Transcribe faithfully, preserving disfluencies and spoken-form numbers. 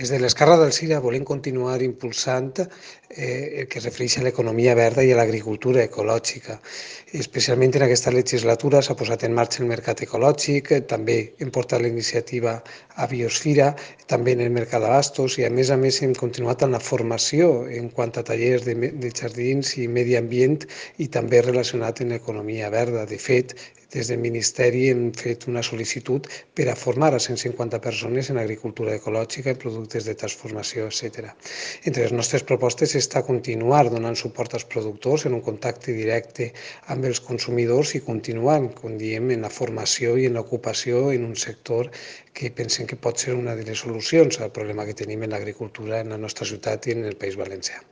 Des de l'Esquerra del Sira volem continuar impulsant eh, el que es refereix a l'economia verda i a l'agricultura ecològica. Especialment en aquesta legislatura s'ha posat en marxa el mercat ecològic, també hem portat la iniciativa a Biosfira, també en el mercat d'abastos i a més a més hem continuat amb la formació en quant a tallers de, de jardins i medi ambient i també relacionat amb l'economia verda. De fet, des del Ministeri hem fet una sol·licitud per a formar a cent cinquanta persones en agricultura ecològica, en productes de transformació, etcètera. Entre les nostres propostes està continuar donant suport als productors en un contacte directe amb els consumidors i continuar, com diem, en la formació i en l'ocupació en un sector que pensem que pot ser una de les solucions al problema que tenim en l'agricultura en la nostra ciutat i en el País Valencià.